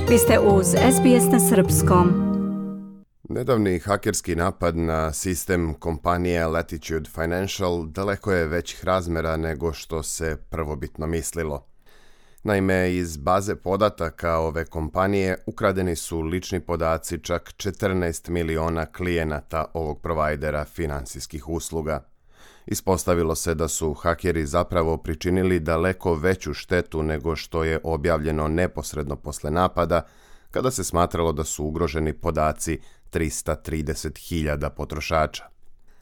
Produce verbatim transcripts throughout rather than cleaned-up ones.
Vi ste uz S B S na srpskom. Nedavni hakerski napad na sistem kompanije Latitude Financial daleko je većih razmjera nego što se prvobitno mislilo. Naime, iz baze podataka ove kompanije ukradeni su lični podaci čak četrnaest miliona klijenata ovog provajdera finansijskih usluga. Ispostavilo se da su hakeri zapravo pričinili daleko veću štetu nego što je objavljeno neposredno posle napada, kada se smatralo da su ugroženi podaci trista trideset hiljada potrošača.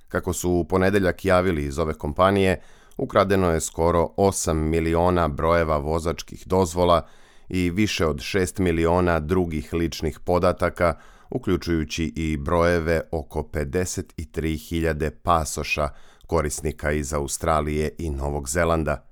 Kako su u ponedeljak javili iz ove kompanije, ukradeno je skoro osam miliona brojeva vozačkih dozvola i više od šest miliona drugih ličnih podataka, uključujući i brojeve oko pedeset tri hiljade pasoša korisnika iz Australije i Novog Zelanda.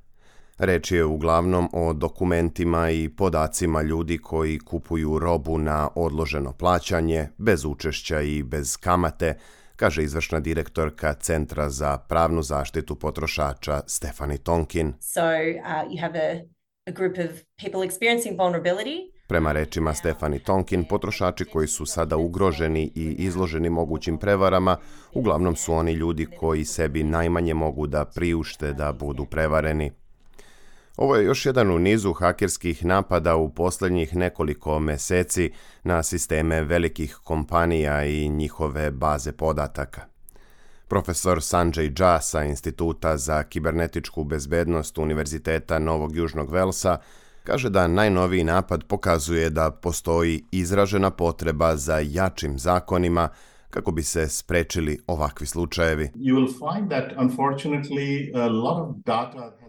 Reč je uglavnom o dokumentima i podacima ljudi koji kupuju robu na odloženo plaćanje, bez učešća i bez kamate, kaže izvršna direktorka Centra za pravnu zaštitu potrošača Stephanie Tonkin. So, uh, you have a, a group of people experiencing vulnerability. Prema rečima Stephanie Tonkin, potrošači koji su sada ugroženi i izloženi mogućim prevarama, uglavnom su oni ljudi koji sebi najmanje mogu da priušte da budu prevareni. Ovo je još jedan u nizu hakerskih napada u posljednjih nekoliko meseci na sisteme velikih kompanija i njihove baze podataka. Profesor Sanjay Jha sa Instituta za kibernetičku bezbednost Univerziteta Novog Južnog Velsa kaže da najnoviji napad pokazuje da postoji izražena potreba za jačim zakonima kako bi se sprečili ovakvi slučajevi.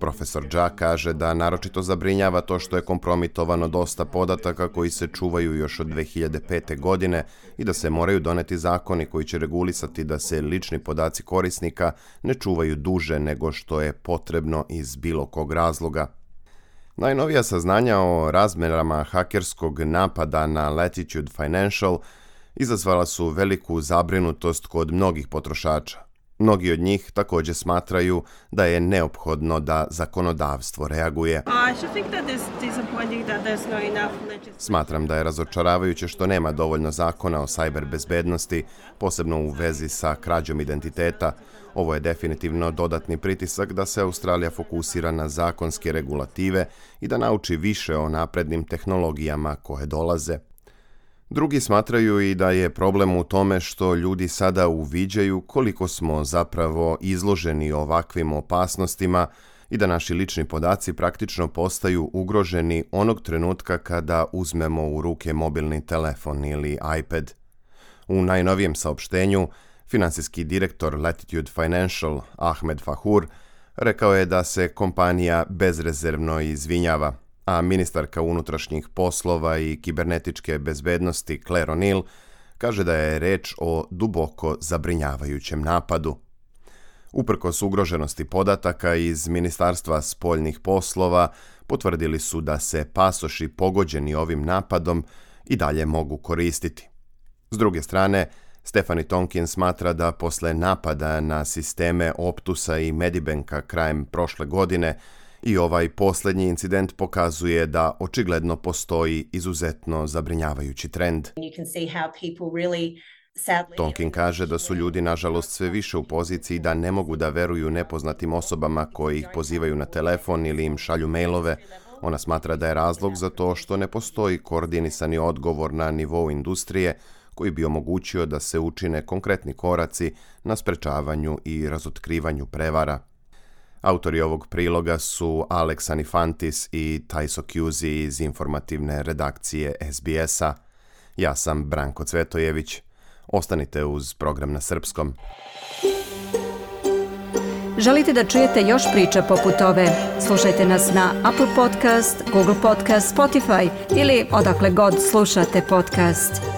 Profesor Jha kaže da naročito zabrinjava to što je kompromitovano dosta podataka koji se čuvaju još od dve hiljade pete. godine i da se moraju doneti zakoni koji će regulisati da se lični podaci korisnika ne čuvaju duže nego što je potrebno iz bilo kog razloga. Najnovija saznanja o razmjerama hakerskog napada na Latitude Financial izazvala su veliku zabrinutost kod mnogih potrošača. Mnogi od njih također smatraju da je neophodno da zakonodavstvo reaguje. Smatram da je razočaravajuće što nema dovoljno zakona o sajber bezbednosti, posebno u vezi sa krađom identiteta. Ovo je definitivno dodatni pritisak da se Australija fokusira na zakonske regulative i da nauči više o naprednim tehnologijama koje dolaze. Drugi smatraju i da je problem u tome što ljudi sada uviđaju koliko smo zapravo izloženi ovakvim opasnostima i da naši lični podaci praktično postaju ugroženi onog trenutka kada uzmemo u ruke mobilni telefon ili iPad. U najnovijem saopštenju, finansijski direktor Latitude Financial Ahmed Fahour rekao je da se kompanija bezrezervno izvinjava, a ministarka unutrašnjih poslova i kibernetičke bezbednosti Claire O'Neill kaže da je reč o duboko zabrinjavajućem napadu. Uprkos ugroženosti podataka iz Ministarstva spoljnih poslova potvrdili su da se pasoši pogođeni ovim napadom i dalje mogu koristiti. S druge strane, Stephanie Tonkin smatra da posle napada na sisteme Optusa i Medibanka krajem prošle godine i ovaj posljednji incident pokazuje da očigledno postoji izuzetno zabrinjavajući trend. Tonkin kaže da su ljudi nažalost sve više u poziciji da ne mogu da veruju nepoznatim osobama koji ih pozivaju na telefon ili im šalju mailove. Ona smatra da je razlog za to što ne postoji koordinisani odgovor na nivou industrije koji bi omogućio da se učine konkretni koraci na sprečavanju i razotkrivanju prevara. Autori ovog priloga su Alex Anifantis i Tajso Kuzi iz informativne redakcije S B S-a. Ja sam Branko Cvetojević. Ostanite uz program na srpskom. Želite da čujete još priča poput ove? Slušajte nas na Apple Podcast, Google Podcast, Spotify ili odakle god slušate podcast.